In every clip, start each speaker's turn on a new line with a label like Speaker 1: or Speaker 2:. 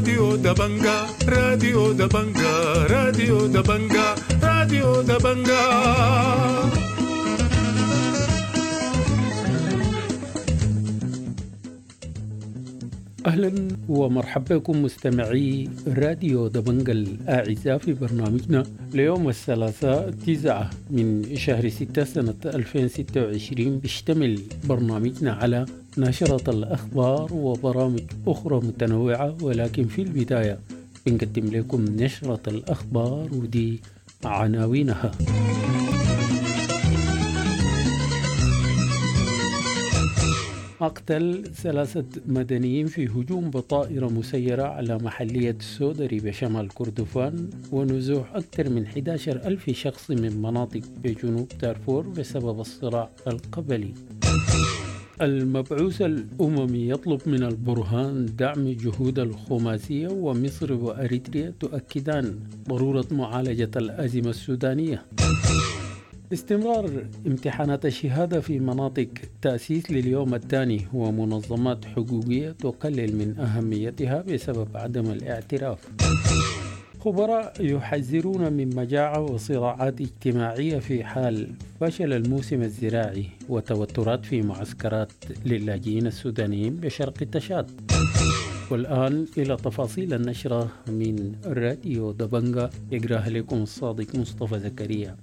Speaker 1: راديو دبنجا، راديو دبنجا، راديو دبنجا، راديو دبنجا.
Speaker 2: أهلا ومرحبا بكم مستمعي راديو دبنجا الأعزاء في برنامجنا ليوم الثلاثاء 9 من شهر 6 سنة 2026. بيشتمل برنامجنا على نشرة الأخبار وبرامج أخرى متنوعة، ولكن في البداية بنقدم لكم نشرة الأخبار ودي عناوينها. مقتل 3 مدنيين في هجوم بطائرة مسيرة على محلية سودري بشمال كردفان، ونزوح أكثر من 11,000 شخص من مناطق بجنوب دارفور بسبب الصراع القبلي. المبعوث الأممي يطلب من البرهان دعم جهود الخماسية، ومصر وأريتريا تؤكدان ضرورة معالجة الأزمة السودانية. استمرار امتحانات الشهادة في مناطق تأسيس لليوم الثاني، ومنظمات حقوقية تقلل من أهميتها بسبب عدم الاعتراف. خبراء يحذرون من مجاعة وصراعات اجتماعية في حال فشل الموسم الزراعي، وتوترات في معسكرات للاجئين السودانيين بشرق تشاد. والآن إلى تفاصيل النشرة من راديو دبنجا، يقراها لكم الصادق مصطفى زكريا.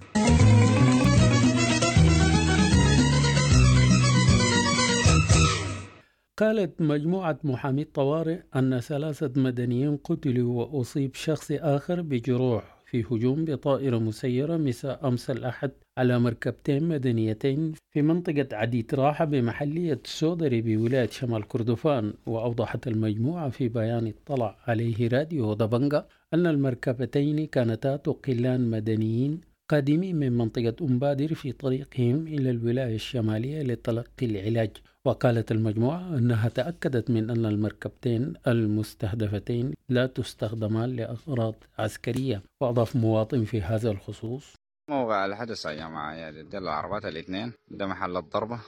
Speaker 2: قالت مجموعة محامي الطوارئ أن 3 مدنيين قتلوا وأصيب شخص آخر بجروح في هجوم بطائرة مسيرة مساء أمس الأحد على مركبتين مدنيتين في منطقة عديت راحة بمحلية سودري بولاية شمال كردفان. وأوضحت المجموعة في بيان اطلع عليه راديو دبنجا أن المركبتين كانتا تقلان مدنيين قادمين من منطقة أمبادر في طريقهم إلى الولاية الشمالية لتلقي العلاج. وقالت المجموعة أنها تأكدت من أن المركبتين المستهدفتين لا تستخدمان لأغراض عسكرية. وأضاف مواطن في هذا الخصوص:
Speaker 3: موقع الحدث يا جماعة، يعني دي العربات الاثنين، ده محل الضربة،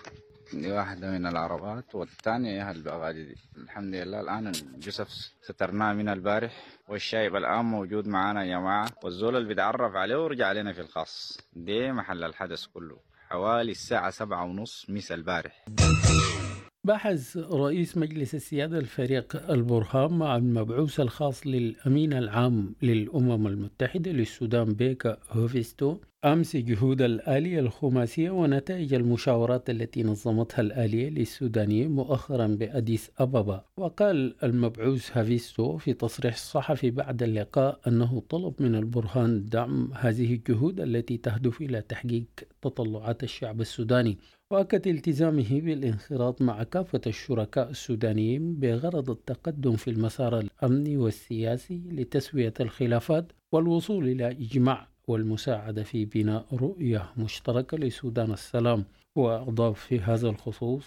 Speaker 3: دي واحدة من العربات والثانية هي البغادي دي. الحمد لله الآن الجثث سترناها من البارح، والشايب الآن موجود معانا يا جماعة، والزول اللي بيتعرف عليه ورجع علينا في الخاص. دي محل الحدث كله حوالي الساعة 7:30 مساء البارح.
Speaker 2: بحث رئيس مجلس السيادة الفريق البرهان مع المبعوث الخاص للأمين العام للأمم المتحدة للسودان بيكا هوفيستو أمس جهود الآلية الخماسية ونتائج المشاورات التي نظمتها الآلية للسودانيين مؤخرا بأديس أبابا. وقال المبعوث هافيستو في تصريح صحفي بعد اللقاء أنه طلب من البرهان دعم هذه الجهود التي تهدف إلى تحقيق تطلعات الشعب السوداني، وأكد التزامه بالانخراط مع كافة الشركاء السودانيين بغرض التقدم في المسار الأمني والسياسي لتسوية الخلافات والوصول إلى إجماع والمساعدة في بناء رؤية مشتركة لسودان السلام. وأضاف في هذا الخصوص: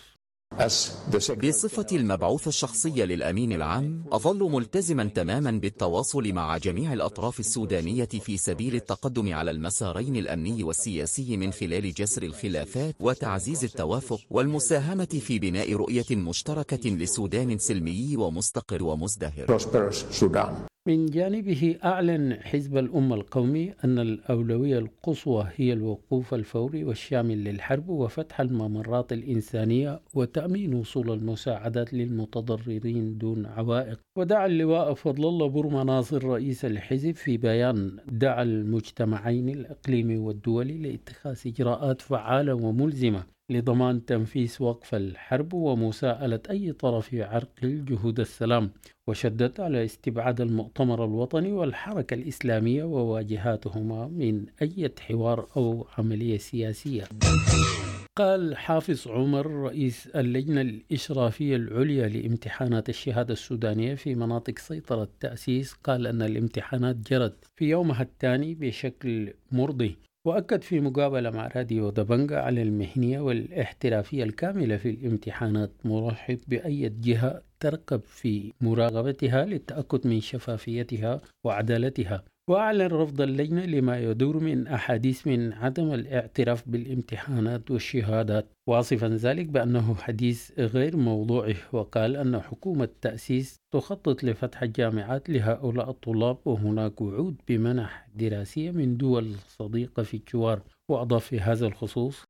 Speaker 4: بصفتي المبعوث الشخصي للأمين العام، أظل ملتزما تماما بالتواصل مع جميع الأطراف السودانية في سبيل التقدم على المسارين الأمني والسياسي من خلال جسر الخلافات وتعزيز التوافق والمساهمة في بناء رؤية مشتركة لسودان سلمي ومستقر ومزدهر.
Speaker 2: من جانبه أعلن حزب الأمة القومي أن الأولوية القصوى هي الوقوف الفوري والشامل للحرب وفتح الممرات الإنسانية وتأمين وصول المساعدات للمتضررين دون عوائق. ودعا اللواء فضل الله برما ناصر رئيس الحزب في بيان دعا المجتمعين الإقليمي والدولي لاتخاذ إجراءات فعالة وملزمة لضمان تنفيذ وقف الحرب ومساءلة أي طرف يعرقل جهود السلام، وشدد على استبعاد المؤتمر الوطني والحركة الإسلامية وواجهاتهما من أي حوار أو عملية سياسية. قال حافظ عمر رئيس اللجنة الإشرافية العليا لامتحانات الشهادة السودانية في مناطق سيطرة التأسيس، قال أن الامتحانات جرت في يومها الثاني بشكل مرضي. وأكد في مقابلة مع راديو دبنجا على المهنية والاحترافية الكاملة في الامتحانات، مرحب بأي جهة ترقب في مراقبتها للتأكد من شفافيتها وعدالتها. وأعلن رفض اللجنة لما يدور من أحاديث من عدم الاعتراف بالامتحانات والشهادات، واصفا ذلك بأنه حديث غير موضوعي. وقال أن حكومة التأسيس تخطط لفتح الجامعات لهؤلاء الطلاب، وهناك وعود بمنح دراسية من دول صديقة في الجوار. وأضاف في هذا الخصوص: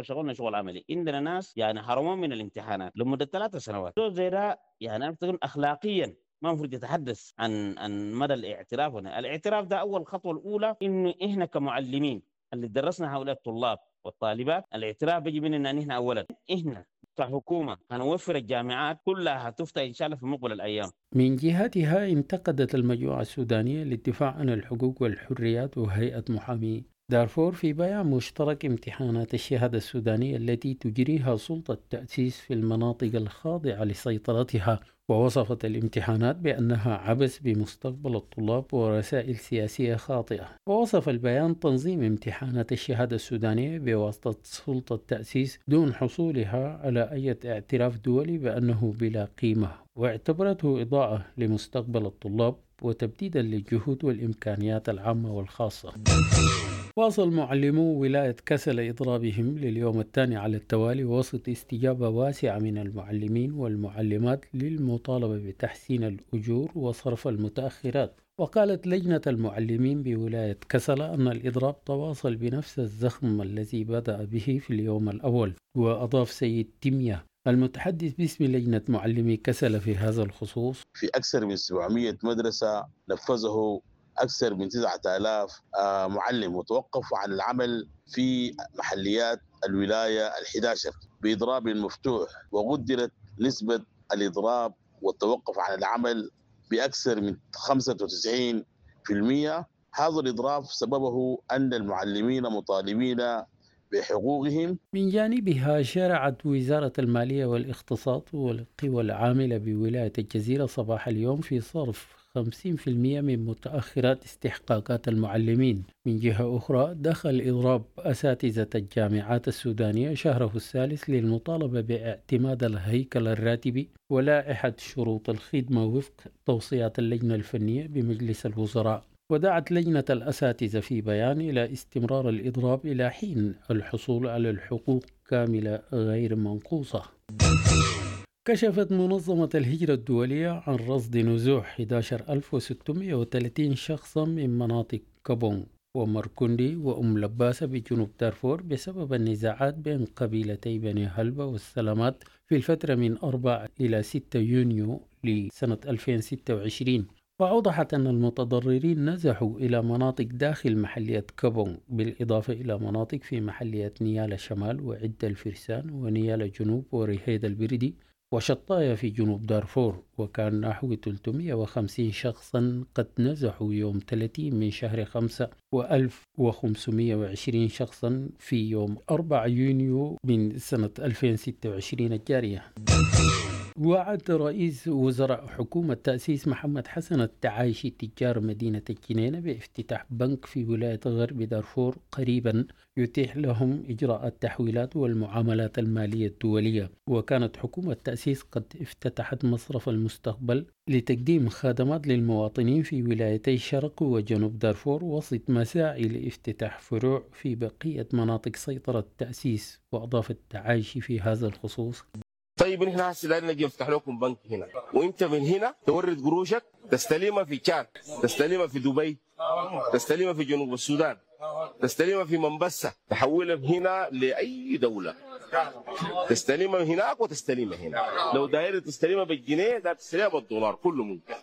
Speaker 5: شغلنا شغل عملي، عندنا ناس يعني حرمون من الامتحانات لمدة 3 سنوات، زي ده يعني أنا أخلاقيا ما المفروض يتحدث عن مدى الاعتراف هنا. الاعتراف ده أول خطوة الأولى إنه إحنا كمعلمين اللي درسنا هؤلاء الطلاب والطالبات، الاعتراف بيجي مننا نحن أولا. إحنا كحكومة هنوفر الجامعات كلها هتفتح إن شاء الله في مقبل الأيام.
Speaker 2: من جهتها انتقدت المجموعة السودانية للدفاع عن الحقوق والحريات وهيئة محامي دارفور في بيان مشترك امتحانات الشهادة السودانية التي تجريها سلطة التأسيس في المناطق الخاضعة لسيطرتها، ووصفت الامتحانات بأنها عبث بمستقبل الطلاب ورسائل سياسية خاطئة. ووصف البيان تنظيم امتحانات الشهادة السودانية بواسطة سلطة التأسيس دون حصولها على أي اعتراف دولي بأنه بلا قيمة، واعتبرته إضاءة لمستقبل الطلاب وتبديدا للجهود والإمكانيات العامة والخاصة. واصل معلمو ولاية كسل إضرابهم لليوم الثاني على التوالي وسط استجابة واسعة من المعلمين والمعلمات للمطالبة بتحسين الأجور وصرف المتأخرات. وقالت لجنة المعلمين بولاية كسل أن الإضراب تواصل بنفس الزخم الذي بدأ به في اليوم الأول. وأضاف سيد تيمية المتحدث باسم لجنة معلمي كسل في هذا الخصوص:
Speaker 6: في أكثر من 700 مدرسة نفذه أكثر من 9000 معلم، وتوقفوا عن العمل في محليات الولاية 11 بإضراب مفتوح، وقدرت نسبة الإضراب والتوقف عن العمل بأكثر من 95%. هذا الإضراب سببه أن المعلمين مطالبين بحقوقهم.
Speaker 2: من جانبها شرعت وزارة المالية والاقتصاد والقوى العاملة بولاية الجزيرة صباح اليوم في صرف 50% من متأخرات استحقاقات المعلمين. من جهة أخرى دخل إضراب أساتذة الجامعات السودانية شهره الثالث للمطالبة باعتماد الهيكل الراتبي ولائحة شروط الخدمة وفق توصيات اللجنة الفنية بمجلس الوزراء. ودعت لجنة الأساتذة في بيان إلى استمرار الإضراب إلى حين الحصول على الحقوق كاملة غير منقوصة. كشفت منظمة الهجرة الدولية عن رصد نزوح 11630 شخصا من مناطق كابون ومركندي وأم لباسة بجنوب دارفور بسبب النزاعات بين قبيلتي بني هلبة والسلامات في الفترة من 4 إلى 6 يونيو لسنة 2026. وأوضحت أن المتضررين نزحوا إلى مناطق داخل محلية كابون، بالإضافة إلى مناطق في محلية نيالا شمال وعدة الفرسان ونيالا جنوب ورهيد البردي وشطايا في جنوب دارفور. وكان نحو 350 شخصا قد نزحوا يوم 30 من شهر 5 و1520 شخصا في يوم 4 يونيو من سنة 2026 الجارية. وعد رئيس وزراء حكومة تأسيس محمد حسن التعايشي تجار مدينة الجنينة بافتتاح بنك في ولاية غرب دارفور قريبا يتيح لهم إجراء التحويلات والمعاملات المالية الدولية. وكانت حكومة تأسيس قد افتتحت مصرف المستقبل لتقديم خدمات للمواطنين في ولايتي شرق وجنوب دارفور وسط مساعي لافتتاح فروع في بقية مناطق سيطرة التأسيس. وأضاف التعايشي في هذا الخصوص:
Speaker 7: طيب نحن هسه دايرين نجي نفتح لكم بنك هنا، وانت من هنا تورد قروشك تستلمها في تشاد، تستلمها في دبي، تستلمها في جنوب السودان، تستلمها في منبسة، تحولها من هنا لاي دوله، تستلمها هناك وتستلمها هنا. لو داير تستلمها بالجنيه داير تستلمها بالدولار، كله ممكن.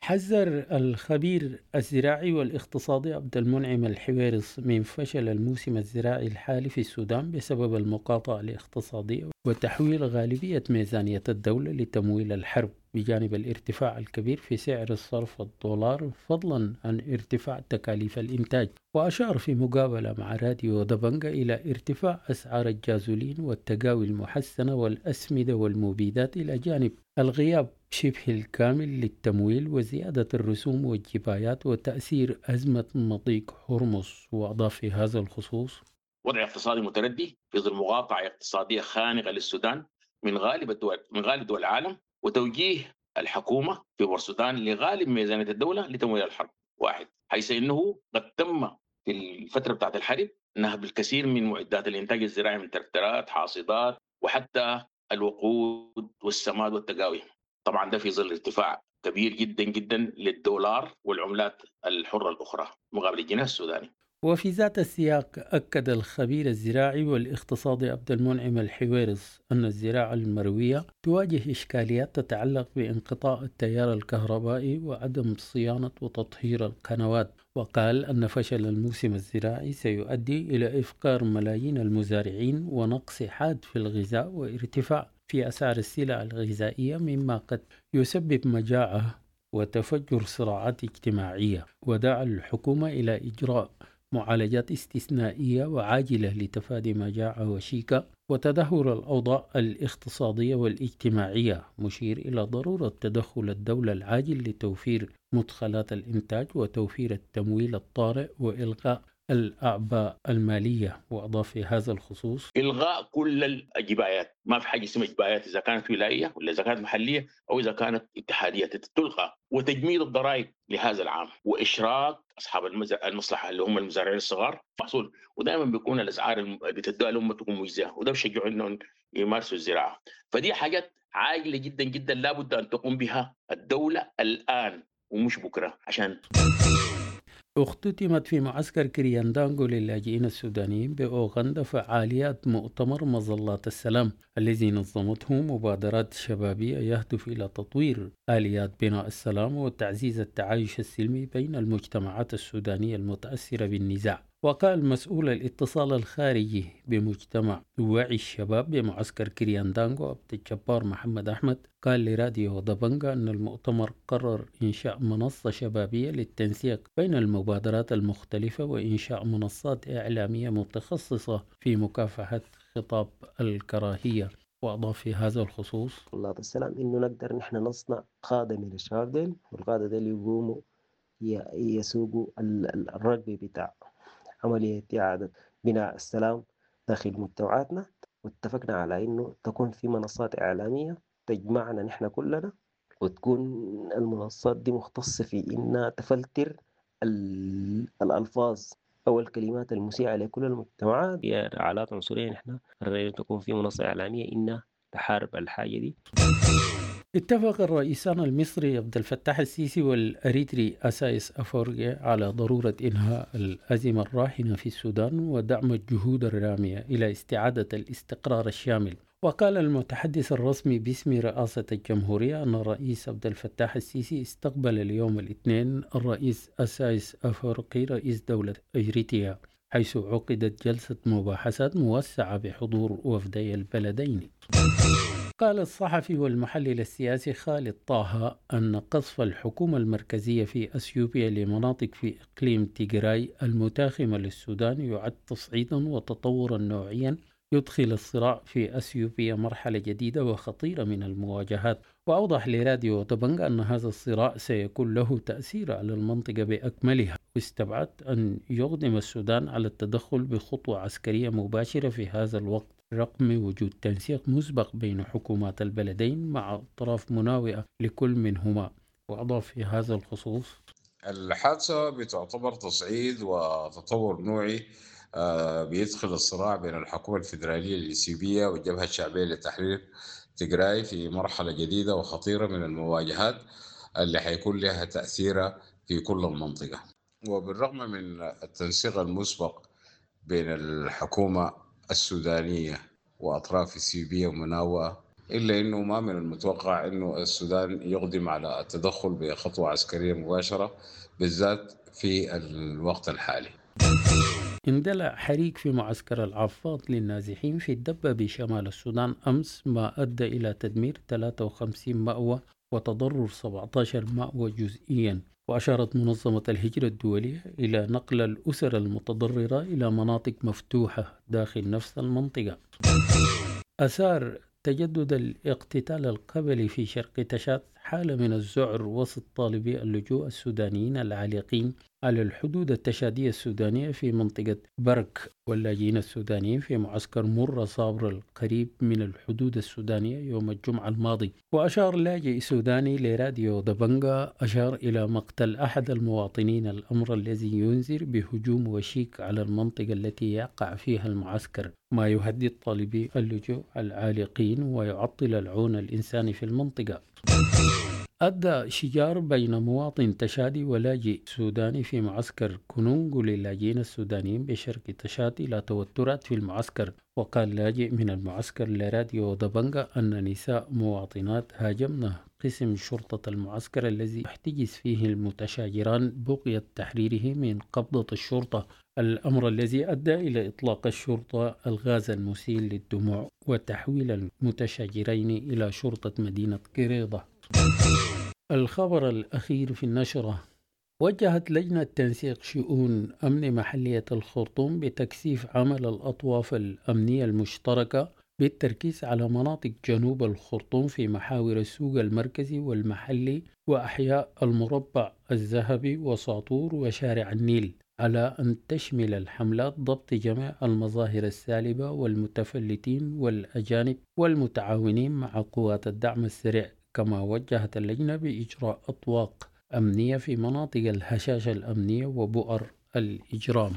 Speaker 2: حذر الخبير الزراعي والاقتصادي عبد المنعم الحويرص من فشل الموسم الزراعي الحالي في السودان بسبب المقاطعة الاقتصادية وتحويل غالبية ميزانية الدولة لتمويل الحرب، بجانب الارتفاع الكبير في سعر الصرف الدولار، فضلا عن ارتفاع تكاليف الإنتاج. وأشار في مقابلة مع راديو دبنجة إلى ارتفاع أسعار الجازولين والتقاوي المحسنة والأسمدة والمبيدات، إلى جانب الغياب شبه الكامل للتمويل وزيادة الرسوم والجبايات وتأثير أزمة مضيق هرمز. وأضاف في هذا الخصوص:
Speaker 8: وضع اقتصادي متردي في ظل مقاطعة اقتصادية خانقة للسودان من غالب دول العالم، وتوجيه الحكومة في بورسودان لغالب ميزانية الدولة لتمويل الحرب. واحد، حيث انه قد تم في الفترة بتاعت الحرب نهب الكثير من معدات الانتاج الزراعي من تركترات، حاصدات، وحتى الوقود والسماد والتقاوي. طبعا ده في ظل ارتفاع كبير جدا جدا للدولار والعملات الحرة الاخرى مقابل الجنيه السوداني.
Speaker 2: وفي ذات السياق، أكد الخبير الزراعي والاقتصادي عبد المنعم الحويرص أن الزراعة المروية تواجه إشكاليات تتعلق بانقطاع التيار الكهربائي وعدم صيانة وتطهير القنوات، وقال أن فشل الموسم الزراعي سيؤدي إلى إفقار ملايين المزارعين ونقص حاد في الغذاء وارتفاع في أسعار السلع الغذائية، مما قد يسبب مجاعة وتفجر صراعات اجتماعية. ودعا الحكومة إلى إجراء معالجات استثنائية وعاجلة لتفادي مجاعة وشيكة وتدهور الأوضاع الاقتصادية والاجتماعية، مشير إلى ضرورة تدخل الدولة العاجل لتوفير مدخلات الإنتاج وتوفير التمويل الطارئ وإلغاء الأعباء المالية. وأضاف في هذا الخصوص:
Speaker 8: إلغاء كل الجبايات، ما في حاجة اسمها جبايات إذا كانت ولاية ولا إذا كانت محلية أو إذا كانت اتحادية تلغى، وتجميد الضرائب لهذا العام، وإشراك أصحاب المصلحة اللي هم المزارعين الصغار محصول، ودائما بيكون الأسعار اللي بتدوها لهم تكون مجزية، وده بيشجعوا إنهم يمارسوا الزراعة. فدي حاجات عاجلة جدا جدا لابد أن تقوم بها الدولة الآن ومش بكرة. عشان
Speaker 2: اختتمت في معسكر كرياندانغو للاجئين السودانيين بأوغندا فعاليات مؤتمر مظلات السلام الذي نظمته مبادرات شبابية يهدف إلى تطوير آليات بناء السلام وتعزيز التعايش السلمي بين المجتمعات السودانية المتأثرة بالنزاع. وقال مسؤول الاتصال الخارجي بمجتمع وعي الشباب بمعسكر كرياندانغو عبد الجبار محمد أحمد، قال لراديو دبنجا أن المؤتمر قرر إنشاء منصة شبابية للتنسيق بين المبادرات المختلفة وإنشاء منصات إعلامية متخصصة في مكافحة خطاب الكراهية. وأضاف في هذا الخصوص:
Speaker 9: مظلات السلام إنه نقدر نحن نصنع قادة من الشباب ديل، والقادة ديل يقوموا يسوقوا الركب بتاع عملية إعادة بناء السلام داخل مجتمعاتنا. واتفقنا على إنه تكون في منصات إعلامية تجمعنا نحن كلنا، وتكون المنصات دي مختصة في إنها تفلتر الألفاظ أو الكلمات المسيئة لكل المجتمعات. هي علاقة عنصرية، نحن قررنا تكون في منصة إعلامية إنها تحارب الحاجة دي.
Speaker 2: اتفق الرئيسان المصري عبد الفتاح السيسي والأريتري أسايس أفورقي على ضرورة إنهاء الأزمة الراهنة في السودان ودعم الجهود الرامية إلى استعادة الاستقرار الشامل. وقال المتحدث الرسمي باسم رئاسة الجمهورية أن الرئيس عبد الفتاح السيسي استقبل اليوم الاثنين الرئيس أسايس أفورقي رئيس دولة إريتريا، حيث عقدت جلسة مباحثات موسعة بحضور وفدي البلدين. قال الصحفي والمحلل السياسي خالد طه أن قصف الحكومة المركزية في أثيوبيا لمناطق في إقليم تيغراي المتاخمة للسودان يعد تصعيدا وتطورا نوعيا يدخل الصراع في أثيوبيا مرحلة جديدة وخطيرة من المواجهات. وأوضح لراديو دبنج أن هذا الصراع سيكون له تأثير على المنطقة بأكملها، واستبعد أن يقدم السودان على التدخل بخطوة عسكرية مباشرة في هذا الوقت، رغم وجود تنسيق مسبق بين حكومات البلدين مع أطراف مناوئة لكل منهما. وأضاف في هذا الخصوص:
Speaker 10: الحادثة بتعتبر تصعيد وتطور نوعي بيدخل الصراع بين الحكومة الفيدرالية الإثيوبية والجبهة الشعبية لتحرير تجراي في مرحلة جديدة وخطيرة من المواجهات اللي حيكون لها تأثيرها في كل المنطقة. وبالرغم من التنسيق المسبق بين الحكومة السودانية وأطراف إثيوبية ومناوئة، إلا أنه ما من المتوقع أنه السودان يقدم على التدخل بخطوة عسكرية مباشرة، بالذات في الوقت الحالي.
Speaker 2: اندلع حريق في معسكر العفاض للنازحين في الدبة بشمال السودان أمس، ما أدى إلى تدمير 53 مأوى وتضرر 17 مأوى جزئيا. وأشارت منظمة الهجرة الدولية إلى نقل الأسر المتضررة إلى مناطق مفتوحة داخل نفس المنطقة. أثار تجدد الاقتتال القبلي في شرق تشاد حالة من الذعر وسط طالبي اللجوء السودانيين العالقين على الحدود التشادية السودانية في منطقة برك، واللاجئين السودانيين في معسكر مرة صابر القريب من الحدود السودانية يوم الجمعة الماضي. وأشار لاجئ سوداني لراديو دبنجا أشار إلى مقتل أحد المواطنين، الأمر الذي ينذر بهجوم وشيك على المنطقة التي يقع فيها المعسكر، ما يهدد طالبي اللجوء العالقين ويعطل العون الإنساني في المنطقة. أدى شجار بين مواطن تشادي ولاجئ سوداني في معسكر كونونغو للاجئين السودانيين بشرق تشاد إلى توترات في المعسكر. وقال لاجئ من المعسكر لراديو دبنجا أن نساء مواطنات هاجمن قسم شرطة المعسكر الذي احتجز فيه المتشاجران بغية تحريره من قبضة الشرطة، الأمر الذي أدى إلى إطلاق الشرطة الغاز المسيل للدموع وتحويل المتشاجرين إلى شرطة مدينة كريضة. الخبر الأخير في النشرة: وجهت لجنة تنسيق شؤون أمن محلية الخرطوم بتكثيف عمل الأطواف الأمنية المشتركة بالتركيز على مناطق جنوب الخرطوم في محاور السوق المركزي والمحلي وأحياء المربع الذهبي وساطور وشارع النيل، على أن تشمل الحملات ضبط جميع المظاهر السالبة والمتفلتين والأجانب والمتعاونين مع قوات الدعم السريع. كما وجهت اللجنة بإجراء أطواق أمنية في مناطق الهشاشة الأمنية وبؤر الإجرام.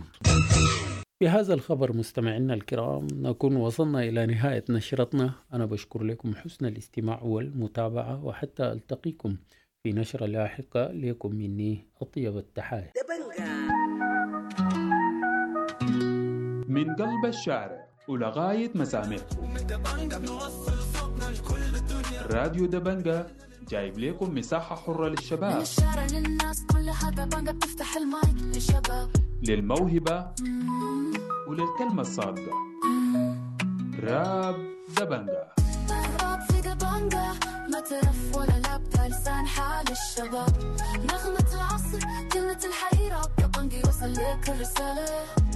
Speaker 2: بهذا الخبر مستمعينا الكرام نكون وصلنا إلى نهاية نشرتنا. أنا بشكر لكم حسن الاستماع والمتابعة، وحتى ألتقيكم في نشرة لاحقة، لكم مني أطيب التحايا.
Speaker 11: من قلب الشارع ولغاية مسامعكم، راديو دبنجا جايب لكم مساحة حرة للشباب،
Speaker 12: من الشارع للناس كلها دبنجا بتفتح المايك للشباب،
Speaker 11: للموهبة وللكلمة الصادقة. راب دبنجا،
Speaker 12: راب في دبنجا، ما ترف ولا لابتة، لسان حال الشباب، نغمة العصر، كلمة الحقيقة، دبنجا يوصل لك الرسالة،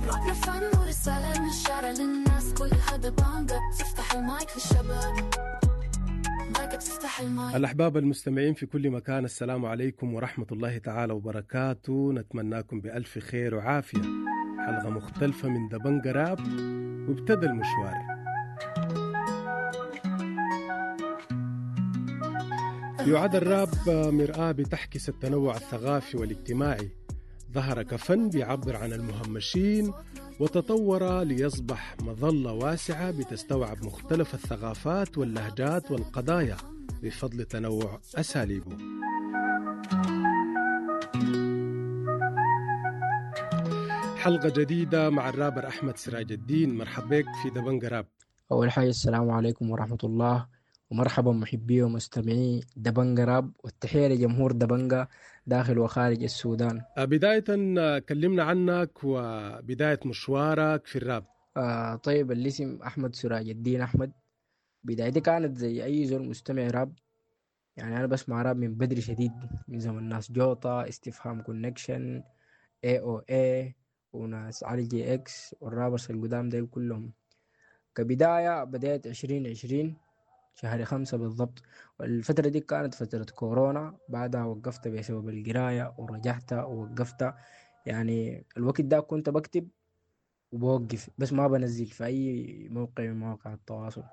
Speaker 12: رابنا فن ورسالة، من الشارع للناس كلها دبنجا بتفتح المايك للشباب.
Speaker 13: الأحباب المستمعين في كل مكان، السلام عليكم ورحمة الله تعالى وبركاته. نتمناكم بألف خير وعافية. حلقة مختلفة من دبنجا راب، وابتدى المشوار. يعد الراب مرآة بتحكس التنوع الثقافي والاجتماعي. ظهر كفن بيعبر عن المهمشين، وتطور ليصبح مظلة واسعة بتستوعب مختلف الثقافات واللهجات والقضايا بفضل تنوع أساليبه. حلقة جديدة مع الرابر أحمد سراج الدين. مرحبا بك في دبنجا راب.
Speaker 14: أول حاجة السلام عليكم ورحمة الله، ومرحبا محبي ومستمعي دبنجا راب، والتحية لجمهور دبنجا داخل وخارج السودان.
Speaker 13: بداية كلمنا عنك وبداية مشوارك في الراب.
Speaker 14: طيب، الاسم أحمد سراج الدين أحمد. بدايتي كانت زي أي زول مستمع راب، يعني أنا بسمع راب من بدري شديد، من زمن ناس جوطة، استفهام كونكشن، AOA، وناس علي جي إكس، وال rappers القدام ديل كلهم. كبداية بدأت 2020 شهر 5 بالضبط، والفترة دي كانت فترة كورونا. بعدها وقفت بسبب القراية، ورجعت ووقفت. يعني الوقت ده كنت بكتب وبوقف، بس ما بنزل في أي موقع من مواقع التواصل.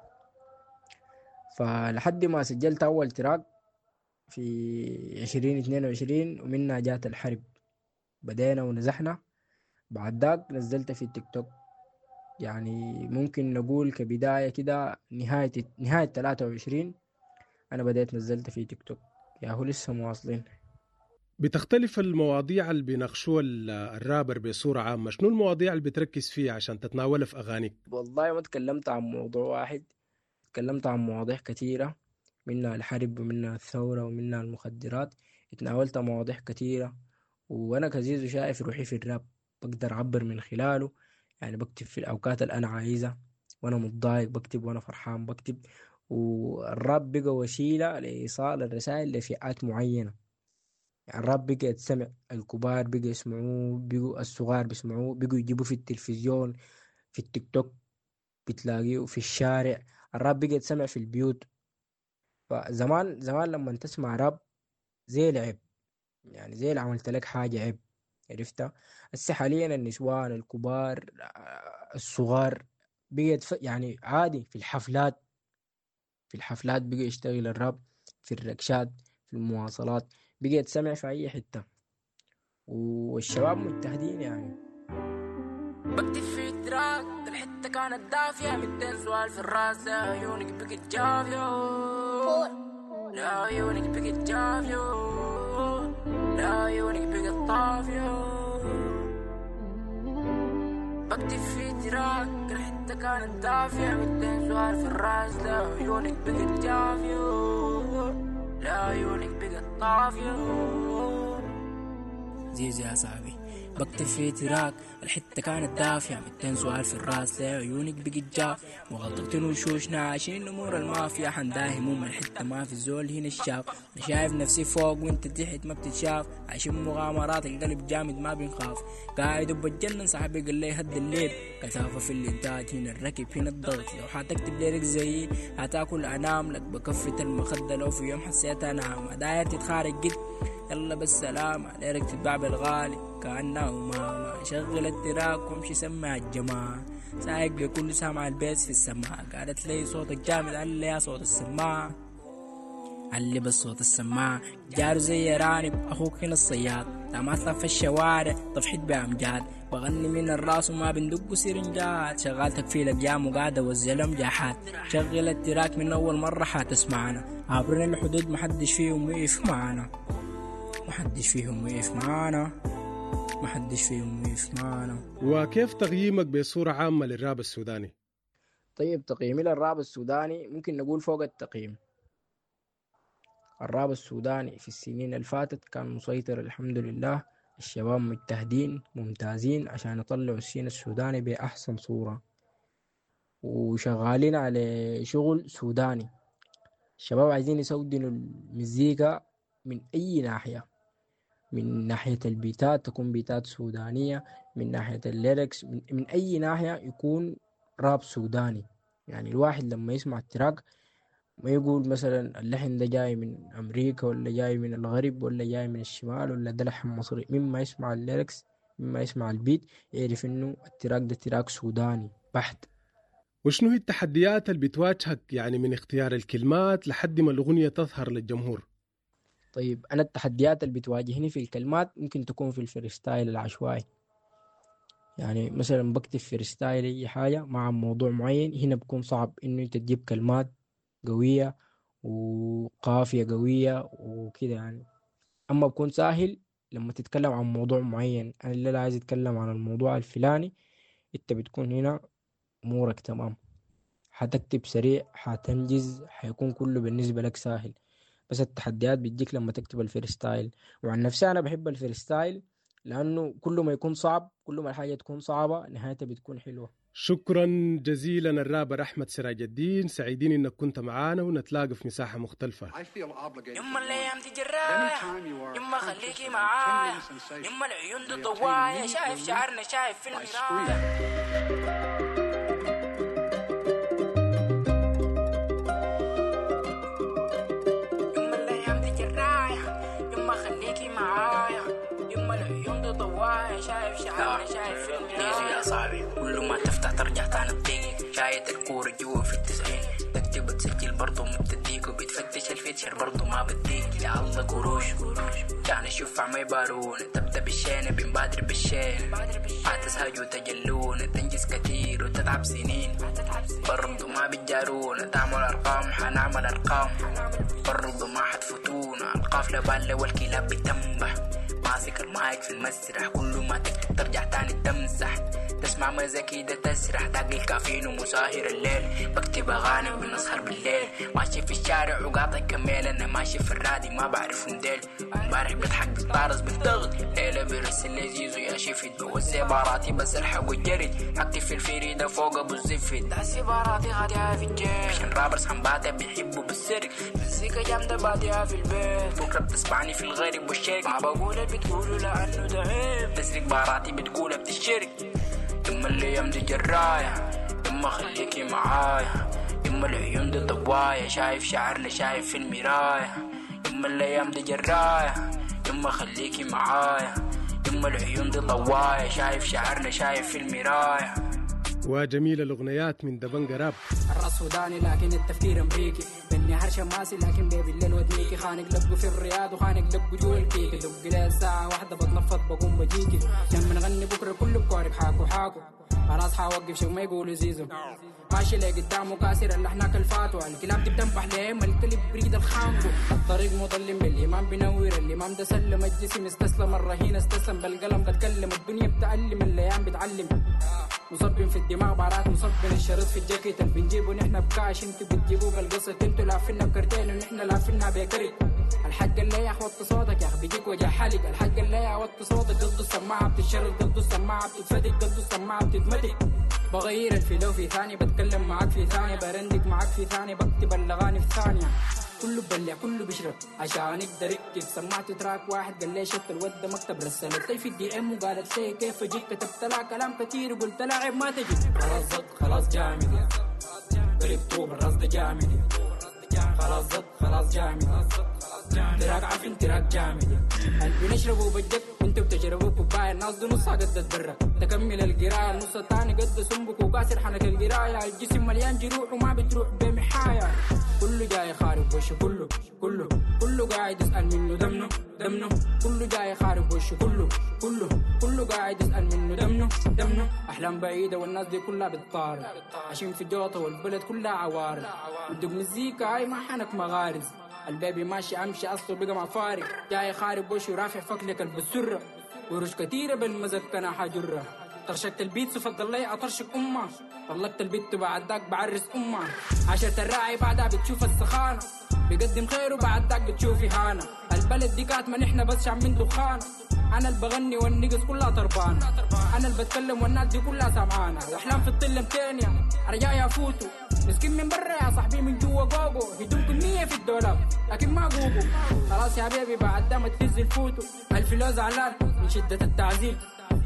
Speaker 14: فلحد ما سجلت أول track في 2022، ومنها جات الحرب، بدينا ونزحنا. بعد ذاك نزلت في التيك توك. يعني ممكن نقول كبداية كده نهاية 23 أنا بدأت نزلت في تيك توك. يا هو لسه مواصلين.
Speaker 13: بتختلف المواضيع اللي بيناقشوها الرابر بصورة عامة، شنو المواضيع اللي بتركز فيها عشان تتناولها في أغانيك؟
Speaker 14: والله ما تكلمت عن موضوع واحد، تكلمت عن مواضيع كثيرة، منها الحرب ومنها الثورة ومنها المخدرات. اتناولت مواضيع كثيرة، وأنا كزيزو شايف روحي في الراب، بقدر أعبر من خلاله. يعني بكتب في الأوقات اللي أنا عايزها، وأنا متضايق بكتب، وأنا فرحان بكتب. والراب بقى وسيلة لإيصال الرسائل لفئات معينة. يعني الراب بقى يتسمع، الكبار بقى يسمعوه، بقوا الصغار بيسمعوه، بقوا يجيبوه في التلفزيون، في التيك توك بتلاقيه، في الشارع. الراب بقى يتسمع في البيوت. فزمان زمان لما تسمع راب زي العيب، يعني زي اللي عملت لك حاجة عيب، عرفتها؟ هسه حاليا النسوان الكبار الصغار بقت يعني عادي في الحفلات، في الحفلات بقى يشتغل الراب، في الركشات، في المواصلات، بقيت سمع في أي حتة، والشباب مجتهدين يعني.
Speaker 15: بكتب في track الحتة كانت دافية، 200 سؤال في الراس، لا عيونك بقت جافية، لا عيونك بقت جافية، لا عيونك بقت طافية. بكتب في track الحتة كانت دافية، 200 سؤال في الراس، لا عيونك بقت جافية، لا عيونك بقت طافية.
Speaker 14: زيزي يا صاحبي، بكتب في track الحتة كانت دافية، 200 سؤال في الراس، لا عيونك بقت جاف، مغطتين وشوشنا عايشين امور المافيا، حنداهم الحتة ما في الزول هنا الشاف، انا شايف نفسي فوق وانت تحت ما بتتشاف، عايشين مغامرات القلب جامد ما بنخاف، قاعد وبتجنن صاحبي قال لي هد الليل، كثافة في الانتاج هنا الركب هنا الضغط، لو حتكتب lyric زيي هتاكل انام لك بكفة المخدة، لو في يوم حسيت انا ما داير تتخارج قد يلا بالسلامة، lyric تتباع بالغالي كأنه ماما، شغل ال track وامشي سمع الجماعة، سايق بكل سامع ال bass في السماعة، قالت لي صوتك جامد قال لي يا صوت السماعة، علي بس صوت السماعة، جارو زي رانب أخوك هنا الصياد، لا في الشوارع طفحت بأمجاد، بغني من الراس وما بندق سرنجات، شغال تكفيل أقيام وقاعدة وزلم جاحات، شغل ال track من أول مرة حتسمعنا، عبرنا الحدود محدش فيهم وقف معانا، محدش فيهم وقف معانا، محدش فيهم وقف معانا.
Speaker 13: وكيف تقييمك بصورة عامة للراب السوداني؟
Speaker 14: طيب تقييمي للراب السوداني ممكن نقول فوق التقييم. الراب السوداني في السنين اللي فاتت كان مسيطر الحمد لله، الشباب مجتهدين ممتازين عشان يطلعوا ال scene السوداني بأحسن صورة، وشغالين على شغل سوداني. الشباب عايزين يسودنوا المزيكا من أي ناحية، من ناحية البيتات تكون بيتات سودانية، من ناحية ال lyrics، من أي ناحية يكون راب سوداني. يعني الواحد لما يسمع ال track ما يقول مثلا اللحن ده جاي من أمريكا ولا جاي من الغرب ولا جاي من الشمال ولا ده لحن مصري، مما يسمع ال lyrics مما يسمع ال beat يعرف إنه ال track ده track سوداني بحت.
Speaker 13: وشنو هي التحديات اللي بتواجهك يعني من اختيار الكلمات لحد ما الأغنية تظهر للجمهور؟
Speaker 14: طيب أنا التحديات اللي بتواجهني في الكلمات ممكن تكون في ال freestyle العشوائي. يعني مثلا بكتب freestyle أي حاجة مع موضوع معين، هنا بكون صعب إنه أنت تجيب كلمات قوية وقافية قوية وكده يعني. أما بكون سهل لما تتكلم عن موضوع معين، أنا اللي عايز أتكلم عن الموضوع الفلاني، أنت بتكون هنا أمورك تمام، حتكتب سريع، حتنجز، حيكون كله بالنسبة لك سهل. بس التحديات بتجيك لما تكتب ال freestyle. وعن نفسي أنا بحب ال freestyle لأنه كل ما يكون صعب، كل ما الحاجة تكون صعبة نهايتها بتكون حلوة.
Speaker 13: شكرا جزيلا الرابر أحمد سراج الدين، سعيدين إنك كنت معانا ونتلاقى في مساحة مختلفة.
Speaker 15: يما الأيام دي جراية، يما خليكي معايا، يما العيون دي ضوايا، شايف شعرنا شايف في المراية. يما الأيام دي جراية، يما خليكي معايا، يما العيون دي ضوايا، شايف شعرنا شايف في المراية.
Speaker 14: يا صاحبي كل ما تفتح ترجع تاني تضيق، شايت الكورة جوا في 90، تكتب تسجل برضو ما بتديك، وبتفتش ال feature برضو ما بديك. يا الله قروش كان الشفع ما يبارون، تبدا بالشينة بنبادر بالشين، حتسهج وتجلون، تنجز كتير وتتعب سنين، برضو ما بتجارونا، تعمل أرقام حنعمل أرقام، برضو ما حتفوتونا، القافلة بالة والكلاب بتنبح، ماسك المايك في المسرح، كل ما تكتب ترجع تاني تمسح، تسمع مزاكي ده تسرح، داق الكافيين ومساهر الليل، بكتب أغاني وبنسهر بالليل، ماشي في الشارع وقاطع كميل، أنا ماشي في الرادي ما بعرفهم ديل، امبارح بضحك بتطارز بالضغط، ليلة برسل لي زيزو يا شفت، بوزع باراتي بس الحق والجري، حكتب في الفريدة فوق أبو الزفت،
Speaker 15: دعسي باراتي غادية في الجيب،
Speaker 14: عشان رابرز حنباتة بيحبوا بالسرق،
Speaker 15: مزيكا جامدة بادية في البيت،
Speaker 14: بكرة بتسمعني في الغرب والشرق،
Speaker 15: ما بقول اللي بتقوله لأنه ده عيب،
Speaker 14: تسرق باراتي بتقولها بتشرق. يما الأيام دي جراية، يما خليكي معايا، يما
Speaker 15: يما العيون دي طواية، شايف شعرنا شايف في المراية. يما الايام دي جراية، يما خليكي معايا. يما العيون دي ضواية، شايف شعرنا شايف في المراية.
Speaker 13: وجميل الأغنيات من دبنجا راب.
Speaker 15: الراس سوداني لكن التفكير امريكي، بالنهار شماسي لكن بيبي الليل ودنيكي. خانق لبقه في الرياض وخانق لبقه جوا الكيكي. دق لي الساعة واحدة بتنفض بقوم بجيكي. لما نغني بكرة كله بكورك حاكو حاكو. خلاص حوقف شو ما يقولوا زيزو. ماشي لقدام وكاسر اللحناك الفاتوة. الكلاب دي بتنبح ليه ما الكلب بريد الخانقو. الطريق مظلم بالإمام بنور. الإمام ده سلم الجسم استسلم الرهين استسلم بالقلم بتكلم. الدنيا بتعلم الايام بتعلم. مصبين في الدماغ بارات مصبين الشريط في الجاكيت. اللي بنجيبه نحن بكاش انتو بتجيبوه بالقسط. انتو لافينا بكرتين ونحن لافينا بكرت. الحق اللي يا وطي صوتك يا اخي بيجيك وجع حلق. الحق اللي يا وطي صوتك قصده السماعه بتتشرط، قصده السماعه بتتفتك، قصده السماعه بتتمتك. بغير الفلو في ثانية، بتكلم معاك في ثانية، برندك معاك في ثانية، بكتب الاغاني في ثانية. كله بلع كله بيشرب عشان يقدر يكتب. سمعت track واحد قال لي شت الود ده مكتب. رسلت لي في ال DM وقالت لي كيف اجيك. كتبت لها كلام كتير وقلت لها عيب ما تجي. خلاص زط خلاص جامد قريب طوب الراس ده جامد. خلاص زط خلاص جامد track عفن track جامد. اللي بنشربه بجد وانتوا بتشربوا كوبايه. الناس دي نصها قد برا تكمل القرايه، النص الثاني قد سنبك وكاسر حنك القرايه. الجسم مليان جروح وما بتروح بمحايا. كله جاي خارب وشه كله كله كله قاعد يسأل منه دمنه دمنه. كله جاي خارب وشه كله كله كله قاعد يسأل منه دمنه دمنه. أحلام بعيدة والناس دي كلها بتطارد، عايشين في جوطة والبلد كلها عوارض. ودق مزيكا هاي ما حنك مغارز. البيبي ماشي امشي اصله بقى مع فارق. جاي خارب وشه رافع فكلك البسرة ورش كتيرة بالمزكنة حجرة. طرشقت البيت فضل لي اطرشق امه. طلقت البيت بعد ذاك بعرس امه. عشرة الراعي بعدها بتشوف السخانة، بيقدم خير وبعد ذاك بتشوف اهانة. البلد دي كاتمة نحن بس شامين دخان. انا اللي بغني والنقص كلها طربانة. انا اللي بتكلم والناس دي كلها سمعانة. واحلام في الطل متانية رجايا يفوتوا. مسكين من برا يا صاحبي من جوا جوجو. هدوم كمية في الدولاب لكن ما جوجو. خلاص يا بيبي بعد ده ما تهز الفوتو. الفلو زعلان من شدة التعذيب.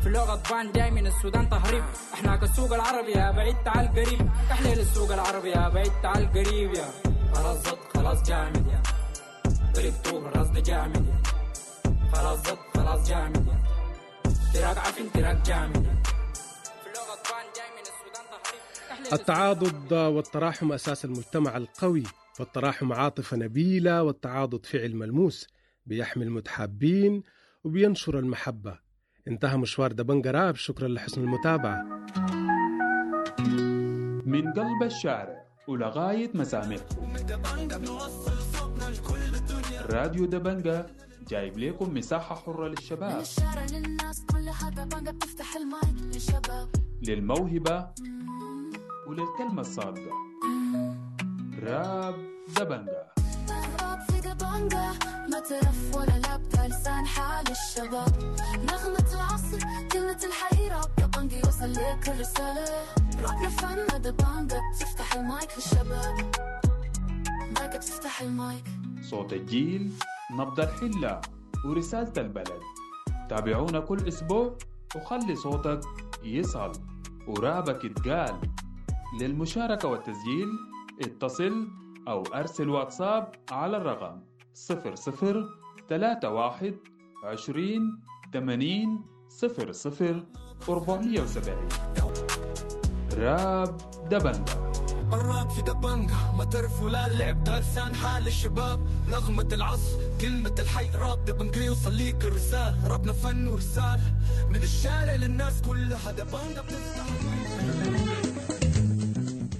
Speaker 15: فلو غضبان جاي من السودان تهريب. احنا كالسوق العربي يا بعيد تعال قريب. تحليل السوق العربي يا بعيد تعال قريب يا. خلاص زط خلاص جامد يا قريب طوب الراس ده جامد يا. خلاص زط خلاص جامد يا track عفن track جامد يا.
Speaker 13: التعاضد والتراحم أساس المجتمع القوي، فالتراحم عاطفة نبيلة والتعاضد فعل ملموس بيحمي المتحابين وبينشر المحبة. انتهى مشوار دبنجا راب. شكرا لحسن المتابعة.
Speaker 11: من قلب الشارع ولغاية مسامعكم، راديو دبنجا جايب لكم مساحة حرة للشباب،
Speaker 12: من الشارع للناس كلها دبنجا بتفتح المايك للشباب،
Speaker 11: للموهبة وللكلمة الصادقة. راب دبنجا،
Speaker 12: راب في دبنجا ما ترف ولا لابتة، لسان حال الشباب، نغمة العصر كلمة الحي. راب دبنجا يوصل لك الرسالة، رابنا فن دبنجا بتفتح المايك للشباب، مايك بتفتح المايك.
Speaker 11: صوت الجيل، نبض الحلة، ورسالة البلد. تابعونا كل أسبوع وخلي صوتك يصل ورابك يتقال. للمشاركة والتسجيل اتصل أو أرسل واتساب على الرقم 00 31 20 80 00 470. راب دبنجا،
Speaker 16: الراب في دبنجا ما ترف ولا لعب، ده لسان حال الشباب، نغمة العصر كلمة الحي. راب دبنجا يوصل ليك الرسالة، رابنا فن ورسالة من الشارع للناس كلها. دبنجا بتفتح.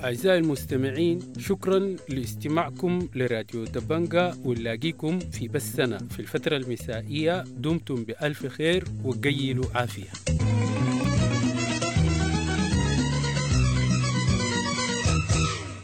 Speaker 2: أعزائي المستمعين، شكرا لاستماعكم لراديو دبنجا، ونلاقيكم في بثنا في الفترة المسائية. دمتم بألف خير وقيلوا عافية.